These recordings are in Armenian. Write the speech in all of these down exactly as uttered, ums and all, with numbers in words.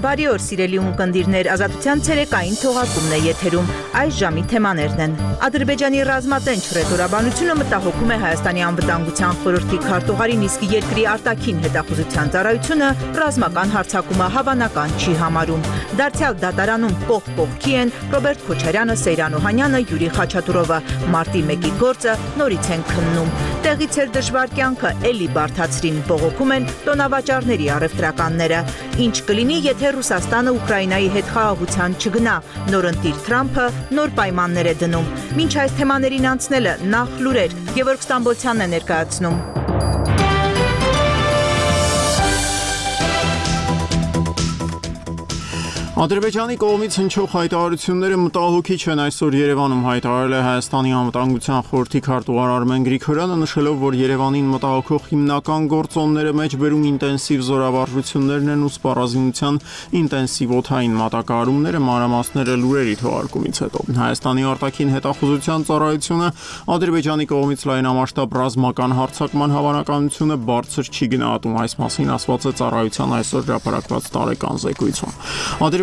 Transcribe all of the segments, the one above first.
Բարի օր, սիրելի ունկնդիրներ, Ազատության ցերեկային թողարկումն է եթերում։ Այս ժամի թեմաներն են. Ադրբեջանի ռազմատենչ ռետորաբանությունը մտահոգում է Հայաստանի անվտանգության խորհրդի քարտուղարին, իսկ երկրի արտաքին հետախուզության ծառայությունը ռազմական հարձակումը հավանական չի համարում։ Դարձյալ դատարանում կողք կողքի են Ռոբերտ Քոչարյանը, Սեյրան Օհանյանը, Յուրի Խաչատուրովը։ Մարտի մեկի գործը նորից են քննում։ Տեղից էր դժվար կյանքը էլի բարդացրին, բողոքում են տոնավաճառների առևտրականները։ Ինչ կլինի, եթե Ռուսաստանը Ուկրաինայի հետ խաղաղության չգնա։ Նորընտիր Թրամփը նոր պայմաններ է դնում։ Մինչ այս թեմաներին անցնելը նախ լուրեր, Գևորգ Ստամբոլցյանն է ներկայացնում։ Ադրբեջանի կողմից հնչող հայտարարությունները մտահոգիչ են, այսօր Երևանում հայտարարել է Հայաստանի անվտանգության խորհրդի քարտուղար Արմեն Գրիգորյանը, նշելով, որ Երևանին մտահոգող հիմնական գործոնները մեջբերում ինտենսիվ զորավարժություններն են ու սպառազինության ինտենսիվ օդային մատակարարումները, մանրամասները լուրերի թողարկումից հետո։ Հայաստանի արտաքին հետախուզության ծառայությունը Ադրբեջանի կողմից լայնամասշտաբ ռազմական հարձակման հավանականությունը բարձր չի գնահատում, այս մասին ասված է ծառայության այսօր հրապարակված տարեկան զեկույցում։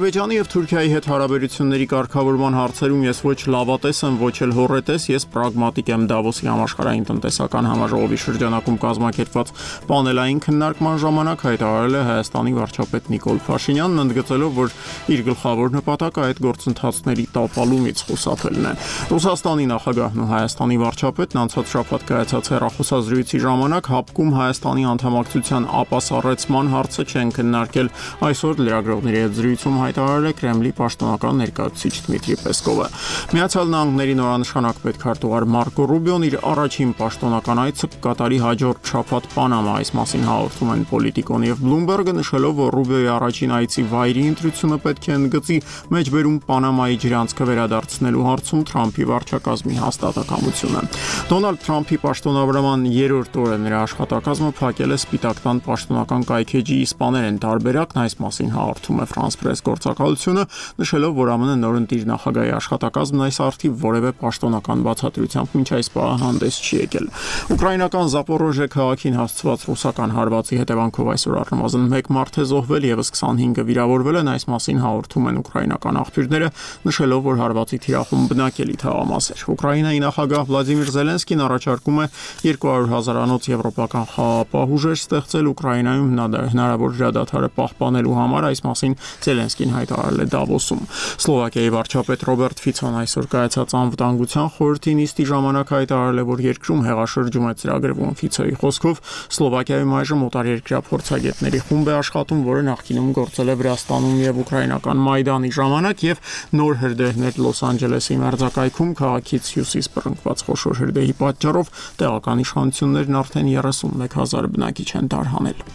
Ադրբեջանի եւ Թուրքիայի հետ հարաբերությունների կարգավորման հարցերում ես ոչ լավատես եմ, ոչ էլ հոռետես, ես պրագմատիկ եմ։ Դավոսի համաշխարհային տնտեսական համաժողովի շրջանակում կազմակերպված պանելային քննարկման ժամանակ հայտարարել է Հայաստանի վարչապետ Նիկոլ Փաշինյանն, ընդգծելով, որ իր գլխավոր նպատակը այդ գործընթացների տապալումից խուսափելն է։ Ռուսաստանի նախագահն ու Հայաստանի վարչապետն անցած շաբաթ կայացած հեռախոսազրույցի ժամանակ հապկում Հայաստանի անդամակցության ապասառեցման հարցը չեն քննարկել։ Այսօր լրագրողների հետ զրույցում հայտարարել է Կրեմլի պաշտոնական ներկայացուցիչ Դմիտրի Պեսկովը։ Միացյալ Նահանգների նորանշանակ պետքարտուղար Մարկո Ռուբիոն իր առաջին պաշտոնական այցը կկատարի հաջորդ շաբաթ Պանամա, այս մասին հաղորդում են Պոլիտիկոն եւ Բլումբերգը, նշելով, որ Ռուբիոյի առաջին այցի վայրի ընտրությունը պետք է ընդգծի մեջբերում Պանամայի ջրանցքը վերադարձնելու հարցում Թրամփի վարչակազմի հաստատակամությունը։ Դոնալդ Թրամփի պաշտոնավարման երրորդ օրը նրա աշխատակազմը փակել է Սպիտակ տան պաշտոնական կայքեջի իսպաներեն տարբերակն, այս մասին հաղորդում է France Press գործակալությունը, նշելով, որ ԱՄՆ նորընտիր նախագահի աշխատակազմն այս արդիվ որևէ պաշտոնական բացատրությամբ մինչ այս պահը հանդես չի եկել։ Ուկրաինական Զապորոժե քաղաքին հասցված ռուսական հարվածի հետևանքով այսօր առնվազն մեկ մարդ է զոհվել, եւս քսանհինգը վիրավորվել են, այս մասին հաղորդում են ուկրաինական աղբյուրները, նշելով, որ հարվածի թիրախում բնակելի թաղամաս էր։ Ուկրաինայի նախագահ Վլադիմիր Զելենսկին առաջարկում է երկու հարյուր հազարանոց եվրոպական խաղաղապահ ուժեր ստեղծել Ուկրաինայում հնարավոր հրադադարը պահպանելու համար, այս մասին Զելենսկին հայտարարել է Դավոսում։ Սլովակիայի վարչապետ Ռոբերտ Ֆիցոն այսօր կայացած անվտանգության խորհրդի նիստի ժամանակ հայտարարել է, որ երկրում հեղաշրջում է ծրագրվում։ Ֆիցոյի խոսքով Սլովակիայում այժմ օտարերկրյա փորձագետների խումբ է աշխատում, որը նախկինում գործել է Վրաստանում եւ ուկրաինական Մայդանի ժամանակ, եւ նոր հրդեհներ Լոս Անջելեսի մերձակայքում քաղաքից հյուսիս բռնկված խոշոր հրդեհի պատճառով տեղական իշխանություններն արդեն երեսունմեկ հազար բնակիչ են տարհանել։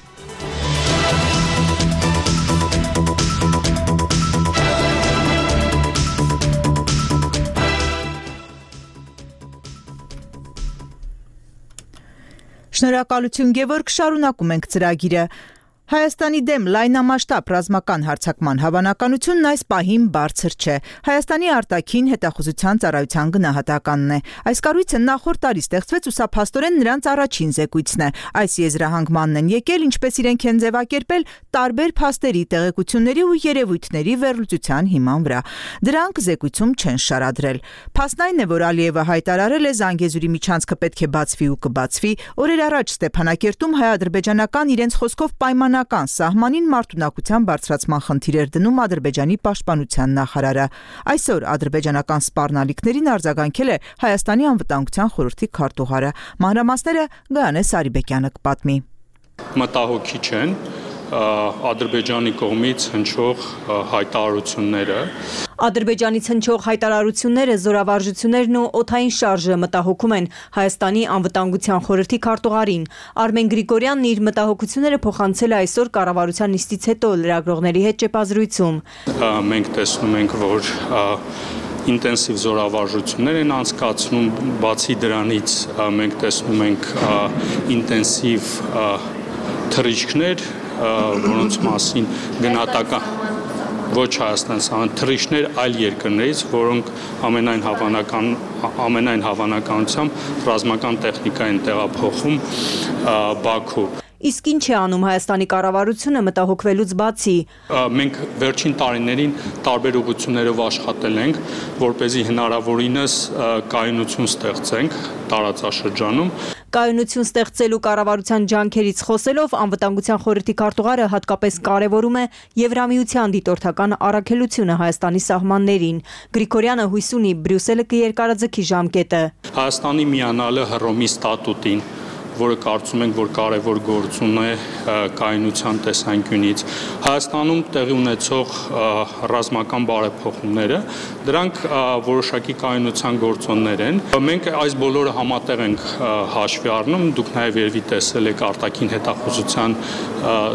Շնորհակալություն, Գևորգ, շարունակում ենք ծրագիրը։ Հայաստանի դեմ լայնամասշտաբ ռազմական հարձակման հավանականությունն այս պահին բարձր չէ։ Հայաստանի արտաքին հետախուզության ծառայության գնահատականն է։ Այս կառույցը նախորդ տարի ստեղծվեց ու սա փաստորեն նրանց առաջին զեկույցն է։ Այս եզրահանգմանն են եկել, ինչպես իրենք են ձևակերպել, տարբեր փաստերի, տեղեկությունների ու երևույթների վերլուծության հիման վրա։ Դրանք զեկույցում չեն շարադրել։ Փաստն այն է, որ Ալիևը հայտարարել է Զանգեզուրի միջանցքը պետք է բացվի ու կբացվի։ Օրեր առաջ Ստեփանակերտում հայ-ադրբեջանական իրենց խոսքով պայման սահմանին մարտունակության բարձրացման խնդիր էր դնում Ադրբեջանի պաշտպանության նախարարը։ Այսօր ադրբեջանական սպառնալիքներին արձագանքել է Հայաստանի անվտանգության խորհրդի քարտուղարը։ Մանրամասները Գայանե Սարիբեկյանը կպատմի։ Մտահոգիչ են Ադրբեջանի կողմից հնչող հայտարարությունները։ Ադրբեջանից հնչող հայտարարությունները, զորավարժություններն ու օդային շարժը մտահոգում են Հայաստանի անվտանգության խորհրդի քարտուղարին։ Արմեն Գրիգորյանն իր մտահոգությունները փոխանցել է այսօր կառավարության նիստից հետո լրագրողների հետ ճեպազրույցում։ Մենք տեսնում ենք, որ ինտենսիվ զորավարժություններ են անցկացնում, բացի դրանից մենք տեսնում ենք ինտենսիվ թռիչքներ, որոնց մասին գնահատական ոչ Հայաստան, թռիչքներ այլ երկրներից, որոնք ամենայն հավանական ամենայն հավանականությամբ ռազմական տեխնիկա են տեղափոխում Բաքու։ Իսկ ինչ է անում Հայաստանի կառավարությունը մտահոգվելուց բացի։ Մենք վերջին տարիներին տարբեր ուղղություններով աշխատել ենք, որպեսզի հնարավորինս կայունություն ստեղծենք տարածաշրջանում։ Կայունություն ստեղծելու կառավարության ջանքերից խոսելով անվտանգության խորհրդի քարտուղարը հատկապես կարևորում է Եվրամիության դիտորդական առաքելությունը Հայաստանի սահմաններին։ Գրիգորյանը հույս ունի Բրյուսելը կերկարաձգի ժամկետը։ Հայաստանի միանալը Հռոմի ստատուտին, որը կարծում ենք, որ կարևոր գործուն է կայունության տեսանկյունից։ Հայաստանում տեղի ունեցող ռազմական բարեփոխումները, դրանք որոշակի կայունության գործոններ են։ Մենք այս բոլորը համատեղ ենք հաշվի առնում, դուք նաև երևի տեսել եք արտաքին հետախուզության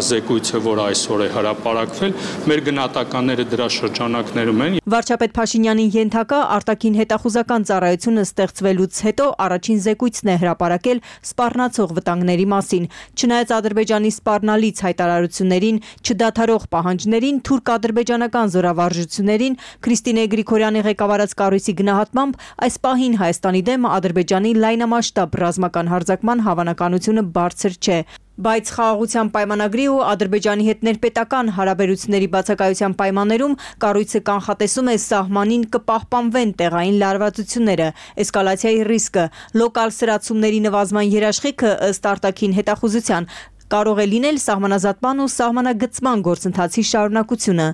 զեկույցը, որ այսօր է հրապարակվել, մեր գնահատականները դրա շրջանակներում են։ Վարչապետ Փաշինյանի ենթակա արտաքին հետախուզական ծառայությունը ստեղծվելուց հետո առաջին զեկույցն է հրապարակել սպառնացող վտանգների մասին։ Չնայած Ադրբեջանի սպառնալից հայտարարություններին, չդադարող պահանջներին, թուրք-ադրբեջանական զորավարժություններին, Քրիստինե Գրիգորյանի ղեկավարած կառույցի գնահատմամբ այս պահին Հայաստանի դեմ Ադրբեջանի լայնամասշտաբ ռազմական հարձակման հավանականությունը բարձր չէ։ Բայց խաղաղության պայմանագրի ու Ադրբեջանի հետ ներպետական հարաբերությունների բացակայության պայմաններում կառույցը կանխատեսում է սահմանին կպահպանվեն տեղային լարվածությունները, էսկալացիայի ռիսկը, լոկալ սրացումների նվազման երաշխիքը ըստ արտաքին հետախուզության կարող է լինել սահմանազատման ու սահմանագծման գործընթացի շարունակությունը։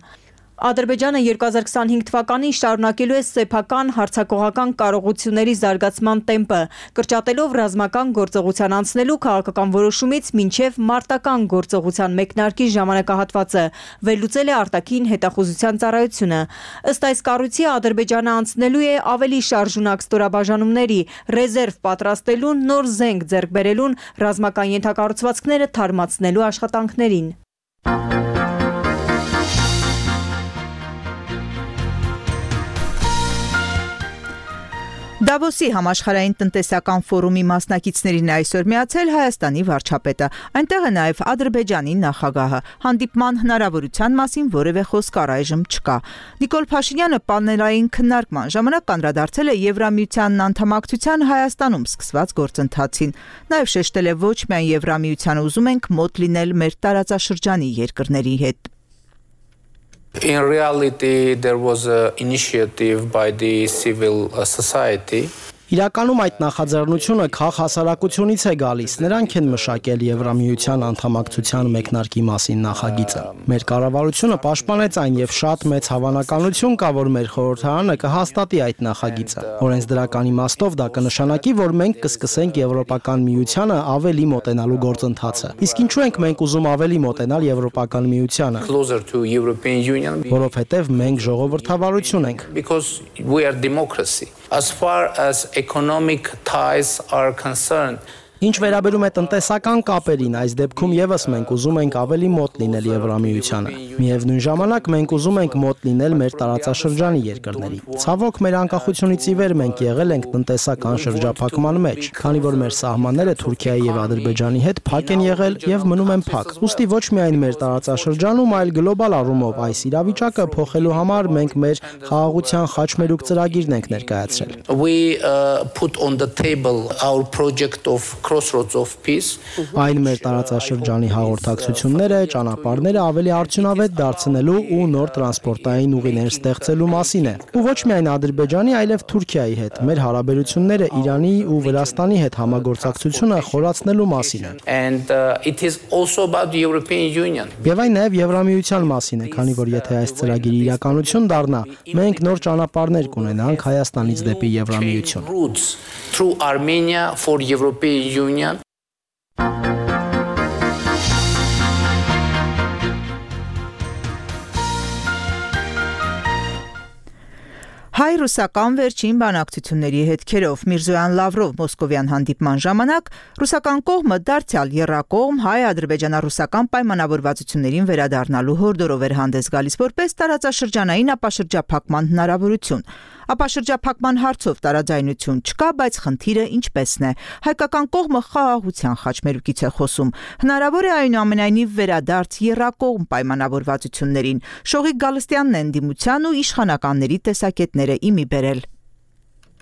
Ադրբեջանը երկու հազար քսանհինգ թվականին շարունակելու է սեփական հարձակողական կարողությունների զարգացման տեմպը, կրճատելով ռազմական գործողության անցնելու քաղաքական որոշումից մինչև մարտական գործողության մեկնարկի ժամանակահատվածը, վերլուծել է արտաքին հետախուզության ծառայությունը։ Ըստ այս կառույցի Ադրբեջանը անցնելու է ավելի շարժունակ ստորաբաժանումների, ռեզերվ պատրաստելուն, նոր զենք ձեռք բերելուն, ռազմական ենթակառուցվածքները թարմացնելու աշխատանքներին։ Դավոսի համաշխարհային տնտեսական ֆորումի մասնակիցներին այսօր միացել Հայաստանի վարչապետը։ Այնտեղ է նաև Ադրբեջանի նախագահը։ Հանդիպման հնարավորության մասին որևէ խոսք առայժմ չկա։ Նիկոլ Փաշինյանը պանելային քննարկման ժամանակ անդրադարձել է Եվրամիությանն անդամակցության Հայաստանում սկսված գործընթացին։ Նաև շեշտել է ոչ միայն Եվրամիությանը ուզում ենք մոտ լինել մեր տարածաշրջանի երկրների հետ։ In reality, there was an initiative by the civil society. Իրականում այդ նախաձեռնությունը քաղ հասարակությունից է գալիս, նրանք են մշակել Եվրամիության անդամակցության մեկնարկի մասին նախագիծը։ Մեր կառավարությունը պաշտպանեց այն եւ շատ մեծ հավանականություն կա, որ մեր խորհրդարանը կհաստատի այդ նախագիծը։ Օրենսդրական իմաստով դա կնշանակի, որ մենք կսկսենք Եվրոպական միությանը ավելի մոտենալու գործընթացը։ Իսկ ինչու ենք մենք ուզում ավելի մոտենալ Եվրոպական միությանը։ Որովհետեւ մենք ժողովրդավարություն ենք։ Because we are democracy. As far as economic ties are concerned, Ինչ վերաբերում է տնտեսական կապերին, այս դեպքում եւս մենք ուզում ենք ավելի մոտ լինել Եվրամիությանը։ Միևնույն ժամանակ մենք ուզում ենք մոտ լինել մեր տարածաշրջանի երկրների։ Ցավոք, մեր անկախությունից ի վեր մենք եղել ենք տնտեսական շրջափակման մեջ, քանի որ մեր սահմանները Թուրքիայի եւ Ադրբեջանի հետ փակ են եղել եւ մնում են փակ։ Ուստի ոչ միայն մեր տարածաշրջանում, այլ գլոբալ առումով այս իրավիճակը փոխելու համար մենք մեր խաղաղության խաչմերուկ ծրագիրն ենք ներկայացրել։ We uh, put on the table our project of Crossroads of Peace. Այն մեր տարածաշրջանի հաղորդակցությունները, ճանապարհները ավելի արդյունավետ դարձնելու ու նոր տրանսպորտային ուղիներ ստեղծելու մասին է։ Ու ոչ միայն Ադրբեջանի, այլև Թուրքիայի հետ մեր հարաբերությունները Իրանի ու Վրաստանի հետ համագործակցությունը խորացնելու մասին է։ And uh, it is also about the European Union. Եվ այն նաև Եվրամիության մասին է, քանի որ եթե այս ծրագիրը իրականություն դառնա, մենք նոր ճանապարհներ կունենանք Հայաստանից դեպի Եվրամիություն։ Routes through Armenia for European Union. Հայ-ռուսական վերջին բանակցությունների հետքերով Միրզոյան Լավրով մոսկովյան հանդիպման ժամանակ ռուսական կողմը դարձյալ եռակողմ հայ-ադրբեջանա-ռուսական պայմանավորվածություններին վերադառնալու հորդորով էր հանդես գալիս որպես տարածաշրջանային ապաշրջափակման հնարավորություն։ Ապաշրջափակման հարցով տարաձայնություն չկա, բայց խնդիրը ինչպեսն է։ Հայկական կողմը խաղաղության խաչմերուկից է խոսում։ Հնարավոր է այնուամենայնիվ վերադարձ եռակողմ պայմանավորվածություններին։ Շողիկ Գալստյանն է ընդդիմության ու իշխանականների տեսակետները իմի բերել։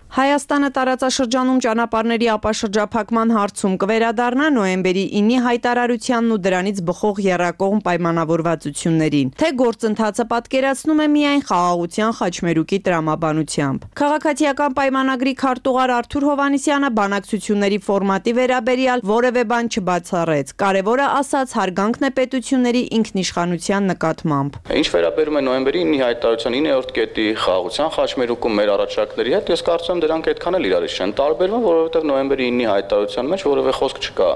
Հայաստանը տարածաշրջանում ճանապարհների ապաշրջափակման հարցում կվերադառնա նոյեմբերի ինի հայտարարությանն ու դրանից բխող եռակողմ պայմանավորվածություններին, թե գործընթացը պատկերացնում է միայն խաղաղության խաչմերուկի տրամաբանությամբ։ Քաղաքացիական պայմանագրի քարտուղար Արթուր Հովհաննիսյանը բանակցությունների ֆորմատի վերաբերյալ որևէ բան չբացառեց։ Կարևորը ասաց հարգանքն է պետությունների ինքնիշխանության նկատմամբ։ Ինչ վերաբերում է նոյեմբերի ինի հայտարարության իններորդ կետի խաղաղության խաչմերուկում մեր առաջարկների հետ, ես կարծում եմ դրանք այդքան էլ իրարից չեն տարբերվում, որովհետև նոյեմբերի ինի հայտարարության մեջ որևէ խոսք չկա,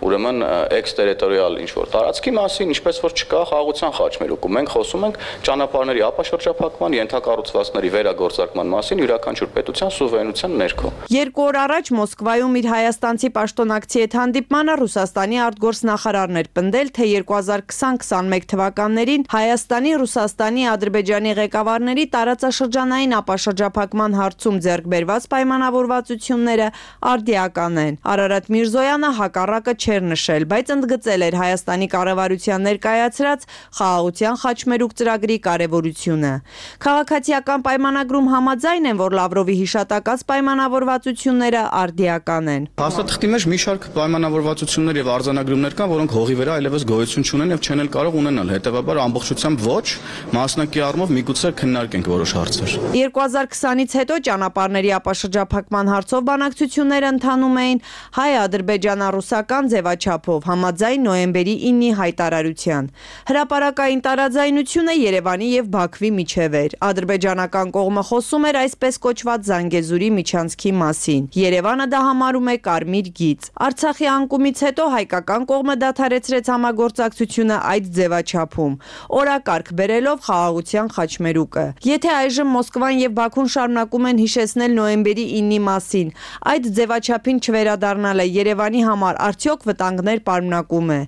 ուրեմն էքստերիտորիալ ինչ-որ տարածքի մասին, ինչպես որ չկա խաղաղության խաչմերուկում։ Մենք խոսում ենք ճանապարհների ապաշրջափակման, ենթակառուցվածքների վերագործարկման մասին յուրաքանչյուր պետության սուվերենության ներքո։ Երկու օր առաջ Մոսկվայում իր հայաստանցի պաշտոնակցի հետ հանդիպմանը Ռուսաստանի արտգործնախարարն էր պնդել, թե երկու հազար քսան քսանմեկ թվականներին Հայաստանի, Ռուսաստանի, Ադրբեջանի ղեկավարների տարածաշրջանային ապաշրջափակման հարցում ձեռք բերված պայմանավորվածությունները արդիական են։ Արարատ Միրզոյանը հակառակը չէր նշել, բայց ընդգծել էր Հայաստանի կառավարության ներկայացրած խաղաղության խաչմերուկ ծրագրի կարևորությունը։ Քաղաքացիական պայմանագրում համաձայն են, որ Լավրովի հիշատակած պայմանավորվածությունները արդիական են։ Հաստատքի մեջ մի շարք պայմանավորվածություններ եւ արձանագրումներ կան, որոնք հողի վրա այլևս գոյություն չունեն եւ չեն էլ կարող ունենալ։ Հետեւաբար ամբողջությամբ ոչ, մասնակի առումով միգուցե քննարկենք որոշ հարցեր։ երկու հազար քսանից հետո ճանապարհների ապաշրջափակման հարցով բանակցությունները ընթանում էին հայ-ադրբեջանա-ռուսական ձևաչափով համաձայն նոյեմբերի ինի հայտարարության։ Հրապարակային տարաձայնությունը Երևանի եւ Բաքվի միջև էր։ Ադրբեջանական կողմը խոսում էր այսպես կոչված Զանգեզուրի միջանցքի մասին։ Երևանը դա համարում է կարմիր գիծ։ Արցախի անկումից հետո հայկական կողմը դադարեցրեց համագործակցությունը այդ ձևաչափում, օրակարգ բերելով խաղաղության խաչմերուկը։ Եթե այժմ Մոսկվան եւ Բաքուն շարունակում են հիշեցնել նոյեմբերի ինի մասին, այդ ձևաչափին չվերադառնալը Երևանի համար արդյոք վտանգներ պարունակում է։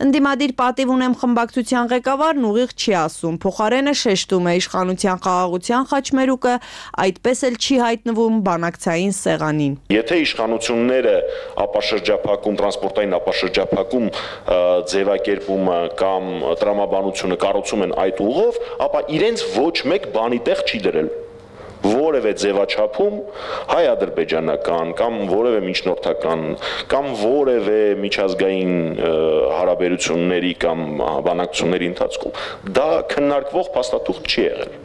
Ընդդիմադիր պատիվ ունեմ խմբակցության ղեկավարն ուղիղ չի ասում, փոխարենը շեշտում է իշխանության խաղաղության խաչմերուկը այդպես էլ չի հայտնվում բանակցային սեղանին։ Եթե իշխանությունները ապաշրջափակում, տրանսպորտային ապաշրջափակում ձևակերպումը կամ տրամաբանությունը կառուցում են այդ ուղով, ապա իրենց ոչ մեկ բանի տեղ չի դրել։ Որևէ ձևաչափում հայ-ադրբեջանական կամ որևէ միջնորդական կամ որևէ միջազգային հարաբերությունների կամ բանակցությունների ընթացքում դա քննարկվող փաստաթուղթ չի եղել։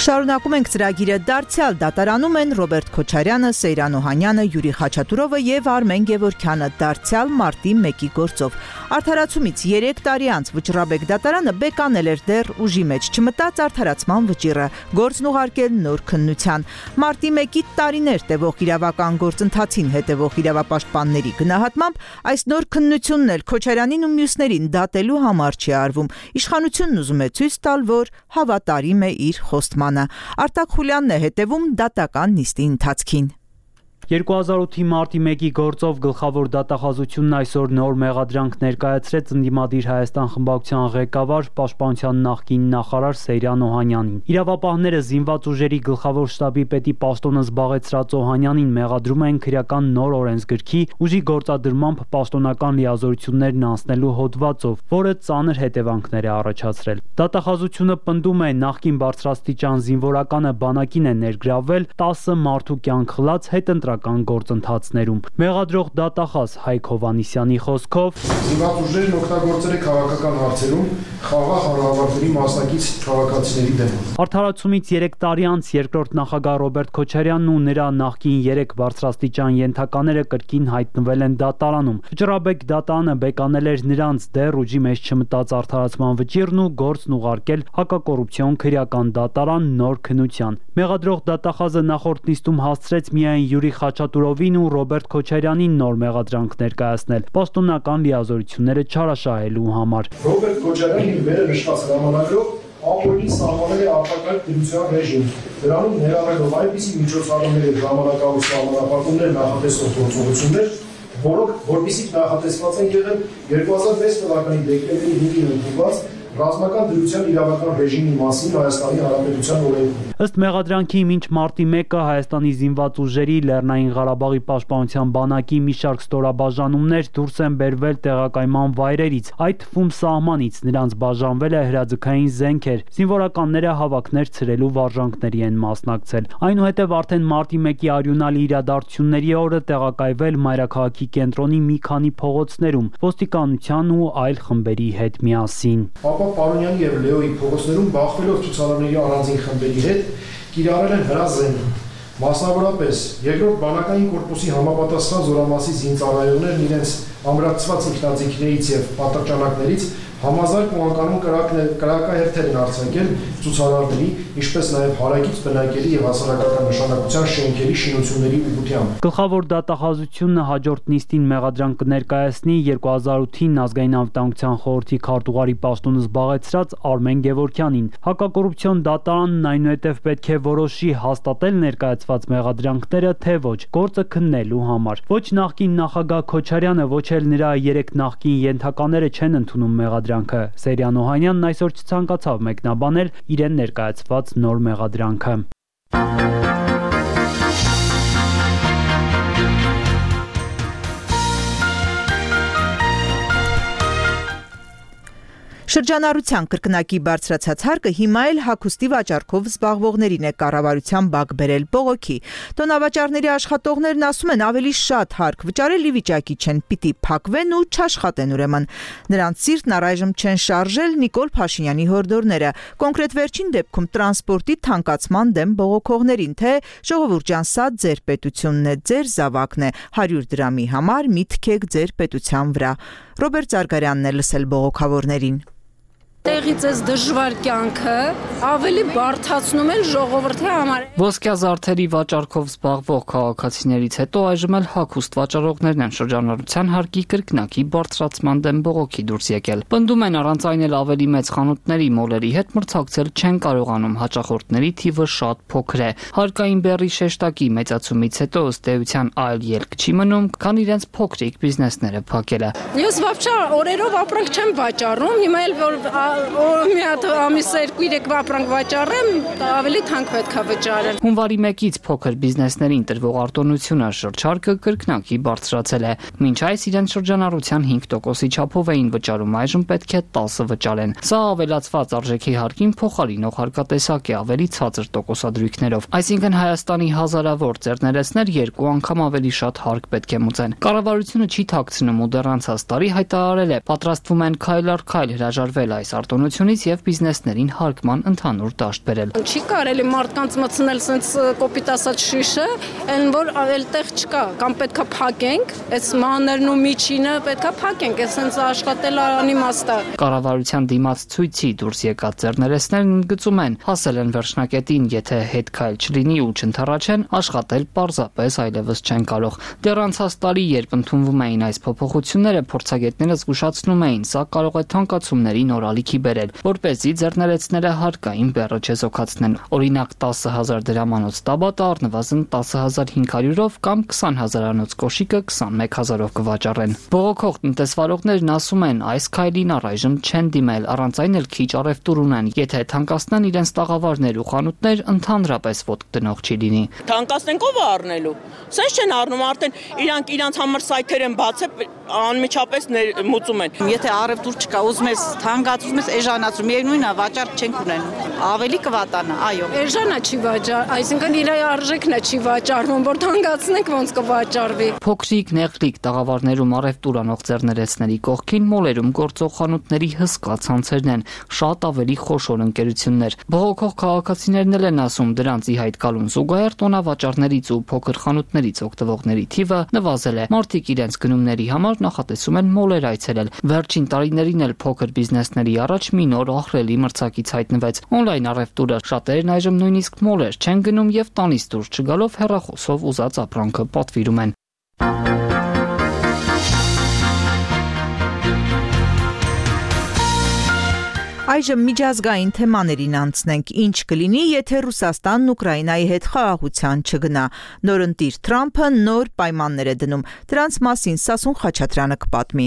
Շարունակում ենք ծրագիրը դարձյալ դատարանում են Ռոբերտ Քոչարյանը, Սեյրան Օհանյանը, Յուրի Խաչատուրովը եւ Արմեն Գևորգյանը դարձյալ մարտի մեկի գործով։ Արդարացումից երեք տարի անց Վճռաբեկ դատարանը բեկանել էր դեռ ուժի մեջ չմտած արդարացման վճիռը, գործն ուղարկել նոր քննության։ Մարտի մեկի տարիներ տևող իրավական գործընթացին հետևող իրավապաշտպանների գնահատմամբ այս նոր քննությունն էլ Քոչարյանին ու մյուսներին դատելու համար չի արվում։ Իշխանությունն ուզում է ցույց տալ, որ հավատարիմ է իր խոստմանը։ Արտակ Խուլյանն է հետևում դատական նիստի ընթացքին։ երկու հազար ութի մարտի մեկի գործով գլխավոր դատախազությունն այսօր նոր մեղադրանք ներկայացրեց ընդդիմադիր Հայաստան խմբակցության ղեկավար Պաշտպանության նախկին նախարար Սեյրան Օհանյանին։ Իրավապահները զինված ուժերի գլխավոր շտաբի պետի պաշտոնը զբաղեցրած Օհանյանին մեղադրում են քրեական նոր օրենսգրքի ուժի գործադրմամբ պաշտոնական լիազորություններն անցնելու հոդվածով, որը ծանր հետևանքներ է առաջացրել։ Դատախազությունը պնդում է նախկին բարձրաստիճան զինվորականը բանակին է ներգրավվել տասը մարդու կյանք խլած հետընտրական գործընթացներում։ Մեղադրող դատախազ Հայկ Հովհաննիսյանի խոսքով զինված ուժերն օգտագործել է քաղաքական հարցերում խաղաղ հանրավարների մասնակից քաղաքացիների դեմ։ Արդարացումից երեք տարի անց երկրորդ նախագահ Ռոբերտ Քոչարյանն ու նրա նախկին երեք բարձրաստիճան ենթակաները կրկին հայտնվել են դատարանում։ Վճռաբեկ դատարանը բեկանել էր նրանց դեռ ուժի մեջ չմտած արդարացման վճիռն ու գործն ուղարկել հակակոռուպցիոն քրեական դատարան նոր քննության։ Մեղադրող դատախազը նախորդ նիստում հասցրեց միայն Յուրի Խաչատուրովին ու Ռոբերտ Քոչարյանին նոր մեղադրանք ներկայացնել պաշտոնական լիազորությունները չարաշահելու համար։ Ռոբերտ Քոչարյանն իր վերը նշված հրամանագրով ապօրինի սահմանել է արտակարգ դրության ռեժիմ, դրանում ներառելով այնպիսի միջոցառումներ եւ ժամանակավոր սահմանափակումներ նախատեսող գործողություններ, որոնք որպեսզի նախատեսված են եղել երկու հազար վեց թվականի դեկտեմբերի հինգին ընդունված ռազմական դրության իրավական ռեժիմի մասին Հայաստանի Հանրապետության օրենքում։ Ըստ մեղադրանքի մինչ մարտի մեկը Հայաստանի զինված ուժերի Լեռնային Ղարաբաղի պաշտպանության բանակի մի շարք ստորաբաժանումներ դուրս են բերվել տեղակայման վայրերից, այդ թվում սահմանից, նրանց բաժանվել է հրաձգային զենքեր, զինվորականները հավաքներ ցրելու վարժանքների են մասնակցել։ Այնուհետև արդեն մարտի մեկի արյունալի իրադարձությունների օրը տեղակայվել մայրաքաղաքի կենտրոնի մի քանի փողոցներում ոստիկանության ու այլ խմբերի հետ միասին։ Ապա Պարոնյանի եւ Լեոյի փողոցներում բախվելով ցուցարարների առանձին խմբերի հետ կիրառել են հրազենք։ Մասնավորապես, երկրորդ բանակային կորպուսի համապատասխան զորամասի զինծառայողներն իրենց ամրացված ինքնաձիգներից եւ պատրճանակներից համազարգ ու անկանոն կրակահերթեր են արձակել ցուցարարների, ինչպես նաև հարակից բնակելի եւ հասարակական նշանակության շենքերի շինությունների ուղղությամբ։ Գլխավոր դատախազությունը հաջորդ նիստին մեղադրանք կներկայացնի երկու հազար ութին ազգային անվտանգության խորհրդի քարտուղարի պաշտոնը զբաղեցրած Արմեն Գևորգյանին։ Հակակոռուպցիոն դատարանն այնուհետև պետք է որոշի հաստատել ներկայացված մեղադրանքները, թե ոչ, գործը քննելու համար։ Ոչ նախկին նախագահ Քոչարյանը, ոչ էլ նրա երեք նախկին ենթակաները չեն ընդունում մեղադրանքը։ Սերյան Օհանյանն այսօր չցանկացավ մեկնաբանել իրեն ներկայացված նոր մեղադրանքը։ Շրջանառության կրկնակի բարձրացած հարկը հիմա էլ հագուստի վաճառքով զբաղվողներին է կառավարության բակ բերել բողոքի։ Տոնավաճառների աշխատողներն ասում են ավելի շատ հարկ վճարել ի վիճակի չեն, պիտի փակվեն ու չաշխատեն ուրեմն։ Նրանց սիրտն առայժմ չեն շարժել Նիկոլ Փաշինյանի հորդորները, կոնկրետ վերջին դեպքում տրանսպորտի թանկացման դեմ բողոքողներին, թե ժողովուրդ ջան, սա ձեր պետությունն է, ձեր զավակն է, հարյուր դրամի համար մի թքեք ձեր պետության վրա։ Ռոբերտ Զարգարյանն է լսել բողոքավորներին։ Տեղից էս դժվար կյանքը ավելի բարդացնում են ժողովրդի համար։ Ոսկյա զարդերի վաճառքով զբաղվող քաղաքացիներից հետո այժմ էլ հագուստ վաճառողներն են շրջանառության հարկի կրկնակի բարձրացման դեմ բողոքի դուրս եկել։ Պնդում են առանց այն էլ ավելի մեծ խանութների մոլերի հետ մրցակցել չեն կարողանում, հաճախորդների թիվը շատ փոքր է։ Հարկային բեռի շեշտակի մեծացումից հետո ըստ էության այլ ելք չի մնում, քան իրենց փոքրիկ բիզնեսները փակելը։ Ես վավճա օրերով ապրանք չեմ վաճառում, հիմա էլ որ մի հատ ամիս երկու երեք ապրանք վաճառեմ, ավելի թանկ պետք է վճարեմ։ Հունվարի մեկից փոքր բիզնեսներին տրվող արտոնությունը շրջարկը կրկնակի բարձրացել է։ Մինչ այս իրենց շրջանառության հինգ տոկոսի չափով էին վճարում, այժմ պետք է տասը վճարեն։ Սա ավելացված արժեքի հարկին փոխարինող հարկատեսակ է ավելի ցածր տոկոսադրույքներով։ Այսինքն Հայաստանի հազարավոր ձեռներեցներ երկու անգամ ավելի շատ հարկ պետք է մուծեն։ Կառավարությունը չի թաքցնում ու դեռ անցած տարի հայտարարել է, պատրաստվում են քայլ առ քայլ հրաժարվել այս արտոնությունից եւ բիզնեսներին հարկման ընդհանուր դաշտ բերել։ Չի կարելի մարդկանց մտցնել sense կոպիտ ասած շիշը, այն որ ավել տեղ չկա, կամ պետքա փակենք, այս մաներն ու միջինը պետքա փակենք, այս sense աշխատել անիմաստ է։ Կառավարության դիմաց ցույցի դուրս եկած ձեռներեցներն ընդգծում են, հասել են վերջնակետին, եթե հետ քայլ չլինի ու չընթառաջեն, աշխատել պարզապես այլևս չեն կարող։ Դեռ անցած տարի, երբ ընդունվում էին այս փոփոխությունները, փորձագետները զգուշացնում էին, սա կարող է թանկացումների նոր ալիքի բերել, որպեսզի ձեռներեցները հարկային բեռը չեզոքացնեն։ Օրինակ տասը հազար դրամանոց տաբատը առնվազն տասը հազար հինգ հարյուրով կամ քսան հազարանոց կոշիկը քսանմեկ հազարով կվաճառեն։ Բողոքող տնտեսվարողներն ասում են, այս քայլին առայժմ չեն դիմել, առանց այն էլ քիչ առևտուր ունեն, եթե թանկացնեն իրենց տաղավարներ ու խանութներ, ընդհանրապես ոտք դնող չի լինի։ Թանկացնենք ով է առնելու։ Սենց չեն առնում, արդեն իրանք իրանք համար սայթեր են բացել, անմիջապես մուծում են։ Եթե առևտուր չկա, ուզում ես թանկացում ես էժանացում, միևնույնն է, վաճառք չենք ունենում։ Ավելի կվատանա, այո։ Էժանա չի վաճառ, այսինքն իր արժեքն է չի վաճառվում, որ թանկացնենք ոնց կվաճառվի։ Փոքրիկ նեղլիկ տաղավարներում առևտուր անող ձեռներեցների կողքին մոլերում գործող խանութների հսկա ցանցերն են, շատ ավելի խոշոր ընկերություններ։ Բողոքող քաղաքացիներն էլ են ասում, դրանց ի հայտ գալուն զուգահեռ տոնավաճառներից ու փոքր խանութներից օգտվողների թիվը նվազել է։ Մարդիկ իրենց գնումների համար նախատեսում են մոլեր այցելել։ Վերջին տարիներին էլ փոքր բիզնեսների առաջ մի նոր ահռելի մրցակից հայտնվեց։ Օնլայն առևտուրը, շատերն այժմ նույնիսկ մոլեր չեն գնում եւ տանից դուրս չգալով հեռախոսով ուզած ապրանքը պատվիրում են։ Այժմ միջազգային թեմաներին անցնենք, ինչ կլինի, եթե Ռուսաստանն Ուկրաինայի հետ խաղաղության չգնա։ Նորընտիր Թրամփը նոր պայմաններ է դնում։ Դրանց մասին Սասուն Խաչատրյանը կպատմի։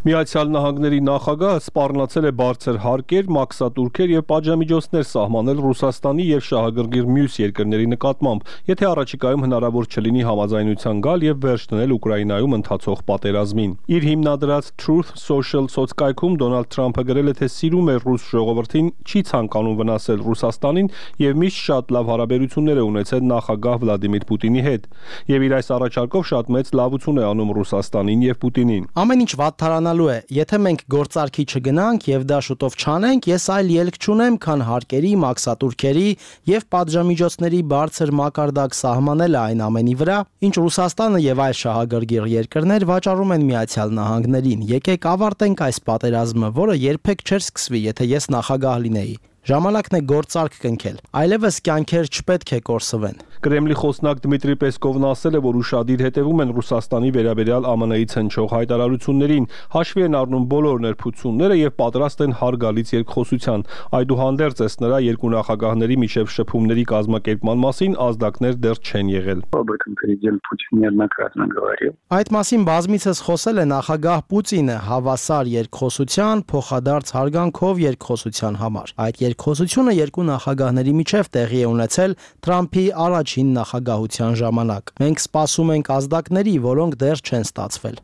Միացյալ Նահանգների նախագահը սպառնացել է բարձր հարկեր, մաքսատուրքեր եւ պատժամիջոցներ սահմանել Ռուսաստանի եւ շահագրգիռ մյուս երկրների նկատմամբ, եթե առաջիկայում հնարավոր չլինի համաձայնության գալ եւ վերջ դնել Ուկրաինայում ընթացող պատերազմին։ Իր հիմնադրած Truth Social սոցկայքում Դոնալդ Թրամփը գրել է, թե սիրում է ռուս ժողովրդին, չի ցանկանում վնասել Ռուսաստանին եւ միշտ շատ լավ հարաբերություններ է ունեցել նախագահ Վլադիմիր Պուտինի հետ։ Եվ իր այս առաջարկով շատ մեծ լավություն է անում Ռուսաստանին եւ Պուտինին։ Ամեն ինչ վատթարանալու է, եթե մենք գործարքի չգնանք եւ դա շուտով չանենք, ես այլ ելք չունեմ, քան հարկերի, մաքսատուրքերի եւ պատժամիջոցների բարձր մակարդակ սահմանելը այն ամենի վրա, ինչ Ռուսաստանը եւ այլ շահագրգիռ երկրներ վաճառում են Միացյալ Նահանգներին։ Եկեք ավարտենք այս պատերազմը, որը երբեք չէր սկսվի, եթե ես նախագահ լինեի։ Ժամանակն է գործարք կնքել, այլևս կյանքեր չպետք է կորսվեն։ Կրեմլի խոսնակ Դմիտրի Պեսկովն ասել է, որ ուշադիր հետևում են Ռուսաստանի վերաբերյալ ԱՄՆ-ից հնչող հայտարարություններին, հաշվի են առնում բոլոր ներփությունները եւ պատրաստ են հարգալից երկխոսության։ Այդուհանդերձ ըստ նրա երկու նախագահների միջև շփումների կազմակերպման մասին ազդակներ դեռ չեն եղել։ Այդ մասին բազմիցս խոսել է նախագահ Պուտինը հավասար երկխոսության, փոխադարձ հարգանքով երկխոսության համար։ Այդ երկխոսությունը երկու նախագահների միջև տեղի է ունեցել Թրամփի առաջին նախագահության ժամանակ։ Մենք սպասում ենք ազդակների, որոնք դեռ չեն ստացվել։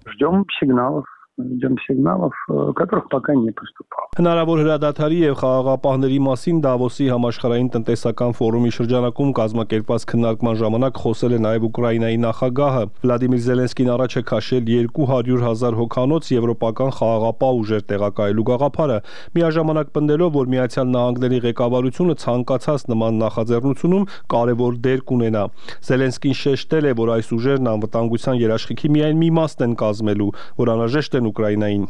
Ждем сигналов, которых пока не поступало. Հնարավոր հրադադարի եւ խաղաղապահների մասին Դավոսի համաշխարհային տնտեսական ֆորումի շրջանակում կազմակերպված քննարկման ժամանակ խոսել է նաեւ Ուկրաինայի նախագահը։ Վլադիմիր Զելենսկին առաջ է քաշել երկու հարյուր հազար հոգանոց եվրոպական խաղաղապահ ուժեր տեղակայելու գաղափարը, միաժամանակ պնդելով, որ Միացյալ Նահանգների ղեկավարությունը ցանկացած նման նախաձեռնությունում կարևոր դեր կունենա։ Զելենսկին շեշտել է, որ այս ուժերն անվտանգության երաշխիքի միայն մի մասն են կազմելու, որ անհրաժեշտ են Ուկրաինային։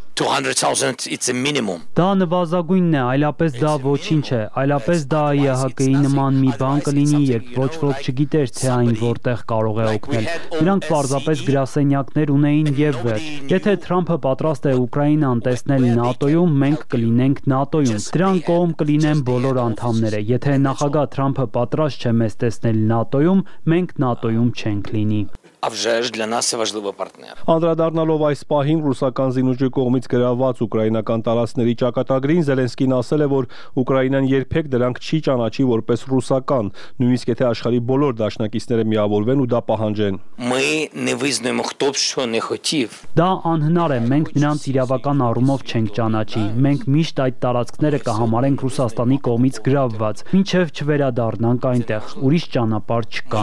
Դա նվազագույնն է, այլապես դա ոչինչ է, այլապես դա Է Հ Կ-ի նման մի բան կլինի, երբ ոչ ոք չգիտեր, թե այն որտեղ կարող է օգնել։ Նրանք պարզապես գրասենյակներ ունեին եւ վերջ։ Եթե Թրամփը պատրաստ է Ուկրաինան տեսնել ՆԱՏՕ-ում, մենք կլինենք ՆԱՏՕ-ում։ Դրան կողմ կլինեն բոլոր անդամները։ Եթե նախագահ Թրամփը պատրաստ չէ մեզ տեսնել ՆԱՏՕ-ում, մենք ՆԱՏՕ-ում չենք լինի։ Անդրադառնալով այս պահին ռուսական զինուժի կողմից գրաված ուկրաինական տարածքների ճակատագրին, Զելենսկին ասել է, որ Ուկրաինան երբեք դրանք չի ճանաչի որպես ռուսական, նույնիսկ եթե աշխարհի բոլոր դաշնակիցները միավորվեն ու դա պահանջեն։ Դա անհնար է, մենք նրանց իրավական առումով չենք ճանաչի։ Մենք միշտ այդ տարածքները կհամարենք Ռուսաստանի կողմից գրավված, մինչև չվերադառնանք այնտեղ, ուրիշ ճանապարհ չկա։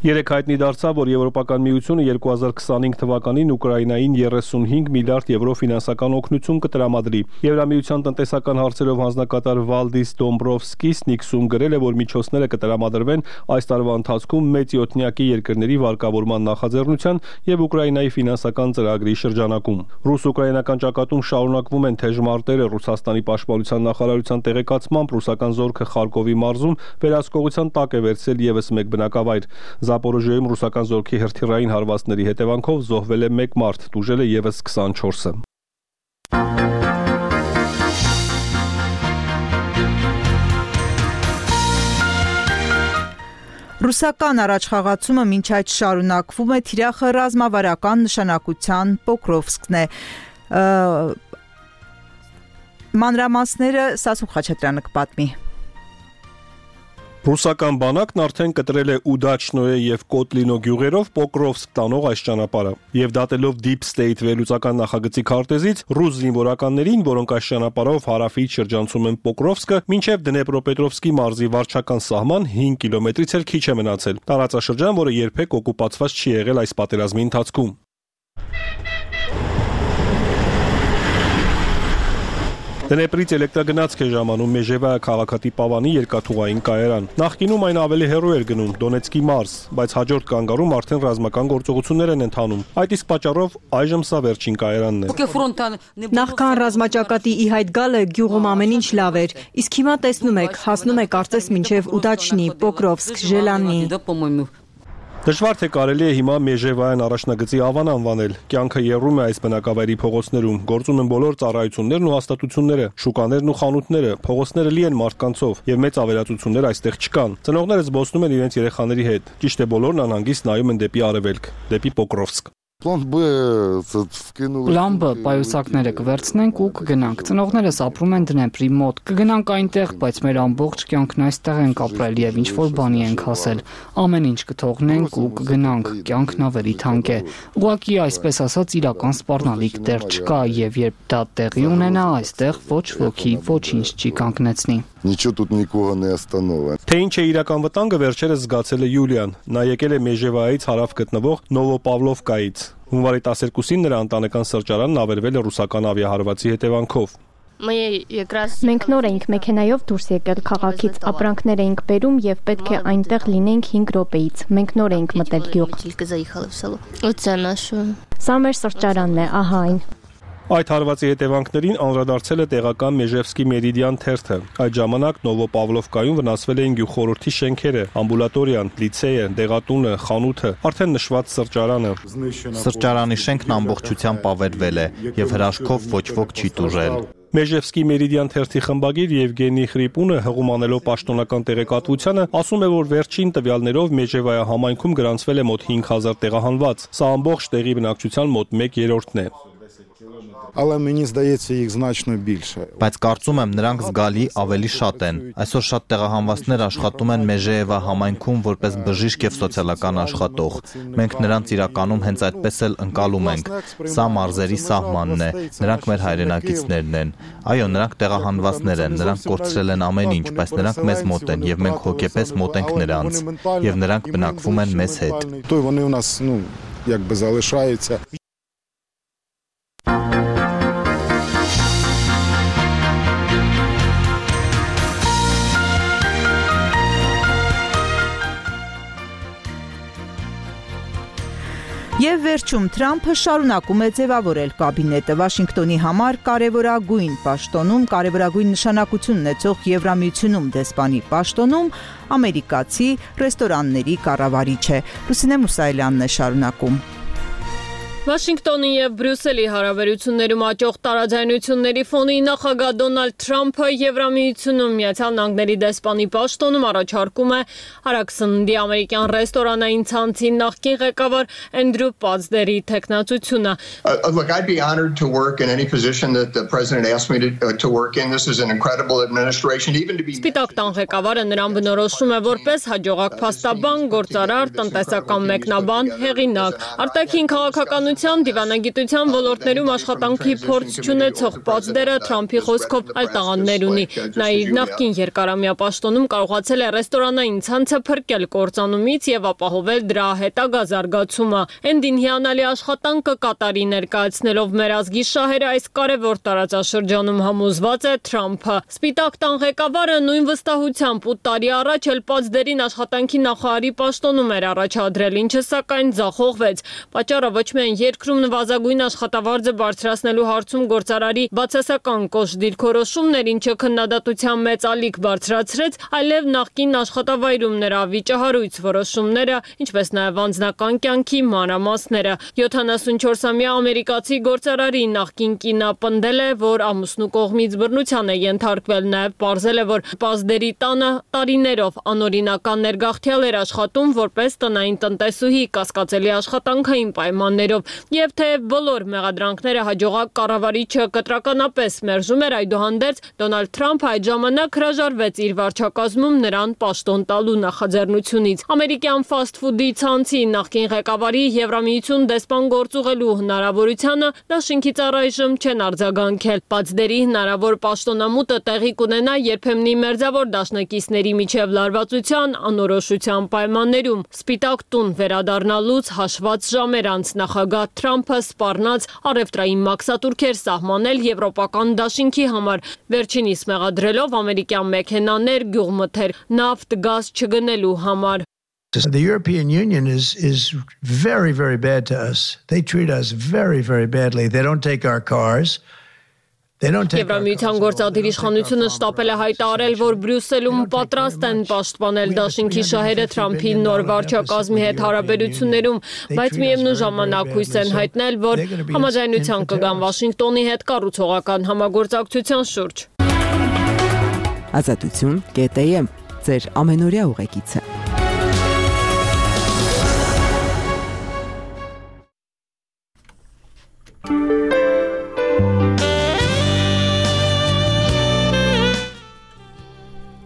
Երեք հայտնի դարձավ, որ Եվրոպական միությունը երկու հազար քսանհինգ թվականին Ուկրաինային երեսունհինգ միլիարդ եվրո ֆինանսական օգնություն կտրամադրի։ Եվրամիության տնտեսական հարցերով հանձնակատար Վալդիս Դոմբրովսկիսն իքսում գրել է, որ միջոցները կտրամադրվեն այս տարվա ընթացքում մեծ յոթնյակի երկրների վարկավորման նախաձեռնության եւ Ուկրաինայի ֆինանսական ծրագրի շրջանակում։ Ռուս-ուկրաինական ճակատում շարունակվում են թեժ մարտերը։ Ռուսաստանի պաշտպանության նախարարության տեղեկացմամբ ռուսական զորքը Խարկովի մարզում վերահսկողության տակ է վերցրել եւս մեկ բնակավայր։ Զապորոժիայում ռուսական զորքի հրթիռային հարվածների հետևանքով զոհվել է մեկ մարդ, տուժել է եւս քսանչորսը։ Ռուսական առաջխաղացումը մինչ այդ շարունակվում է, թիրախը ռազմավարական նշանակության Պոկրովսկն է։ Մանրամասները Սասուն Խաչատրյանը կպատմի։ Ռուսական բանակն արդեն կտրել է Ուդաչնոյե եւ Կոտլինո գյուղերով Պոկրովսկ տանող այս ճանապարհը, եւ դատելով Deep State վերլուծական նախագծի քարտեզից ռուս զինվորականներին, որոնք այս ճանապարհով հարավից շրջանցում են Պոկրովսկը, մինչեւ Դնեպրոպետրովսկի մարզի վարչական սահման հինգ կիլոմետրից էլ քիչ է մնացել։ Տարածաշրջան, որը երբեք օկուպացված չի եղել այս պատերազմի ընթացքում։ Դնեպրից էլեկտրագնացք է ժամանում Մեժևայա քաղաքատի Պավանի երկաթուղային կայարան։ Նախկինում այն ավելի հեռու էր գնում Դոնեցկի մարզ, բայց հաջորդ կանգառում արդեն ռազմական գործողություններ են ընթանում։ Այդ իսկ պատճառով այժմ սա վերջին կայարանն է։ Նախքան ռազմաճակատի ի հայտ գալը գյուղում ամեն ինչ լավ էր, իսկ հիմա տեսնում եք, հասնում է կարծես մինչև Ուդաչնի, Պոկրովսկ, Ժելանի։ Դժվար թե կարելի է հիմա Մեժևայան առաջնագծի Ավան անվանել։ Կյանքը եռում է այս բնակավայրի փողոցներում, գործում են բոլոր ծառայություններն ու հաստատությունները, շուկաներն ու խանութները, փողոցները լի են մարդկանցով եւ մեծ ավերածություններ այստեղ չկան։ Ծնողները զբոսնում են իրենց երեխաների հետ։ Ճիշտ է, բոլորն անհանգիստ նայում են դեպի արևելք, դեպի Պոկրովսկ։ Պլան B պայուսակները կվերցնենք ու կգնանք։ Ծնողներս ապրում են Դնեպրի մոտ։ Կգնանք այնտեղ, բայց մեր ամբողջ կյանքն այստեղ ենք ապրել եւ ինչ որ բանի ենք հասել։ Ամեն ինչ կթողնենք ու կգնանք։ Կյանքն ավելի թանկ է։ Ուղղակի այսպես ասած իրական սպառնալիք դեռ չկա եւ երբ դա տեղի ունենա, այստեղ ոչ ոքի ոչինչ չի կանգնեցնի։ Ничего тут никого не остановит։ Թե ինչ է իրական վտանգը վերջերս զգացել է Յուլիան։ Նա եկել է Մեժևայից հարավ գտնվող Նովոպավլովկայից։ Հունվարի տասներկուսին նրա ընտանեկան սրճարանն ավերվել է ռուսական ավիահարվածի հետևանքով։ Մենք նոր էինք մեքենայով դուրս եկել քաղաքից, ապրանքներ էինք բերում եւ պետք է այնտեղ լինենք հինգ րոպեից։ Մենք նոր էինք մտել գյուղ։ Սա մեր սրճարանն է, ահա այն։ Այդ հարվածի հետևանքներին անդրադարձել է տեղական Մեժևսկի Մերիդիան թերթը։ Այդ ժամանակ Նովոպավլովկայում վնասվել էին գյուղխորհրդի շենքերը, ամբուլատորիան, լիցեյը, դեղատունը, խանութը, արդեն նշված սրճարանը։ Սրճարանի շենքն ամբողջությամբ ավերվել է եւ հրաշքով ոչ ոք չի տուժել։ Մեժևսկի Մերիդիան թերթի խմբագիր Եվգենի Խրիպունը հղում անելով պաշտոնական տեղեկատվությանը ասում է, որ վերջին տվյալներով Մեժևայա համայնքում գրանցվել է մոտ հինգ հազար տեղահանված։ Սա ամբողջ տեղի բնակչության մոտ մեկ երրորդն է։ Але мені здається, їх значно більше։ Բայց կարծում եմ նրանք զգալի ավելի շատ են։ Այսօր շատ տեղահանվածներ աշխատում են Մեժեևա համայնքում որպես բժիշկ եւ սոցիալական աշխատող։ Մենք նրանց իրականում հենց այդպես էլ ընկալում ենք։ Սա մարզերի սահմանն է։ Նրանք մեր հայրենակիցներն են։ Այո, նրանք տեղահանվածներ են, նրանք կորցրել են ամեն ինչ, բայց նրանք մեզ մոտ են եւ մենք հոգեպես մոտ ենք նրանց եւ նրանք բնակվում են մեզ հետ։ То вони у нас, ну, якби залишаються։ Եվ վերջում Թրամփը շարունակում է ձևավորել կաբինետը Վաշինգտոնի համար կարևորագույն պաշտոնում, կարևորագույն նշանակություն ունեցող Եվրամիությունում դեսպանի պաշտոնում ամերիկացի ռեստորանների կառավարիչ է։ Լուսինե Մուսայելյանն է շարունակում։ Վաշինգտոնի եւ Բրյուսելի հարաբերություններում աճող տարաձայնությունների ֆոնին նախագահ Դոնալդ Թրամփը Եվրամիությունում Միացյալ Նահանգների դեսպանի պաշտոնում առաջարկում է հարաքսնդի ամերիկյան ռեստորանային ցանցի նախկին ղեկավար Էնդրյու Պածդերի տեխնացությունը։ Look, I'd be honored to work in any position that the president asked me to, uh, to work in. This is an incredible administration, even to be Սպիտակ տան ղեկավարը նրան բնորոշում է որպես հաջողակ փաստաբան, գործարար, տնտեսական մեկնաբան, հեղինակ, արտաքին քաղաքական դիվանագիտության ոլորտներում աշխատանքի փորձ չունեցող Պածդերը Թրամփի խոսքով այլ տաղանդներ ունի։ Նա իր նախկին երկարամյա պաշտոնում կարողացել է ռեստորանային ցանցը փրկել կործանումից եւ ապահովել դրա հետագա զարգացումը։ Էնդին հիանալի աշխատանքը կատարի ներկայացնելով մեր ազգի շահերը այս կարևոր տարածաշրջանում համոզված է Թրամփը։ Սպիտակ տան ղեկավարը նույն վստահությամբ ութ տարի առաջ էլ Պածդերին աշխատանքի նախարարի պաշտոնում էր առաջադրել, ինչը սակայն ձախողվեց։ Պատճառը ոչ միայն երկրում նվազագույն աշխատավարձը բարձրացնելու հարցում գործարարի բացասական կոշտ դիրքորոշումներ, ինչը քննադատության մեծ ալիք բարձրացրեց, այլև նախկին աշխատավայրում նրա վիճահարույց որոշումները, ինչպես նաև անձնական կյանքի մանրամասները։ յոթանասունչորսամյա ամերիկացի գործարարի նախկին կինը պնդել է, որ ամուսնու կողմից բռնության է ենթարկվել, նաև պարզել է, որ Պածդերի տանը տարիներով անօրինական ներգաղթյալ էր աշխատում որպես տնային տնտեսուհի կասկածելի աշխատանքային պայմաններով։ Եվ թեև բոլոր մեղադրանքները հաջողակ կառավարիչը կտրականապես մերժում էր, այդուհանդերձ Դոնալդ Թրամփը այդ ժամանակ հրաժարվեց իր վարչակազմում նրան պաշտոն տալու նախաձեռնությունից։ Ամերիկյան ֆասթ ֆուդի ցանցի նախկին ղեկավարի Եվրամիություն դեսպան գործուղելու հնարավորությանը դաշինքից առայժմ չեն արձագանքել։ Պածդերի հնարավոր պաշտոնամուտը տեղի կունենա երբեմնի մերձավոր դաշնակիցների միջև լարվածության անորոշության պայմաններում։ Սպիտակ տուն վերադառնալուց հաշված ժամեր անց նախագահ Թրամփը սպառնաց առևտրային մաքսատուրքեր սահմանել եվրոպական դաշինքի համար, վերջինիս մեղադրելով ամերիկյան մեքենաներ գյուղմթեր նավթ գազ չգնելու համար։ The European Union is is very very bad to us. They treat us very very badly. They don't take our cars. Եվրամիության գործադիր իշխանությունը շտապել է հայտարարել, որ Բրյուսելում պատրաստ են պաշտպանել դաշինքի շահերը Թրամփի նոր վարչակազմի հետ հարաբերություններում, բայց միևնույն ժամանակ հույս են հայտնել, որ համաձայնության կգան Վաշինգտոնի հետ կառուցողական համագործակցության շուրջ։ Ազատություն կետ եմ ձեր ամենօրյա ուղեկիցը։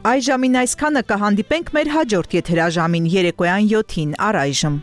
Այժմին այսքանը, կհանդիպենք մեր հաջորդ եթերաժամին երեկոյան յոթին առայժմ։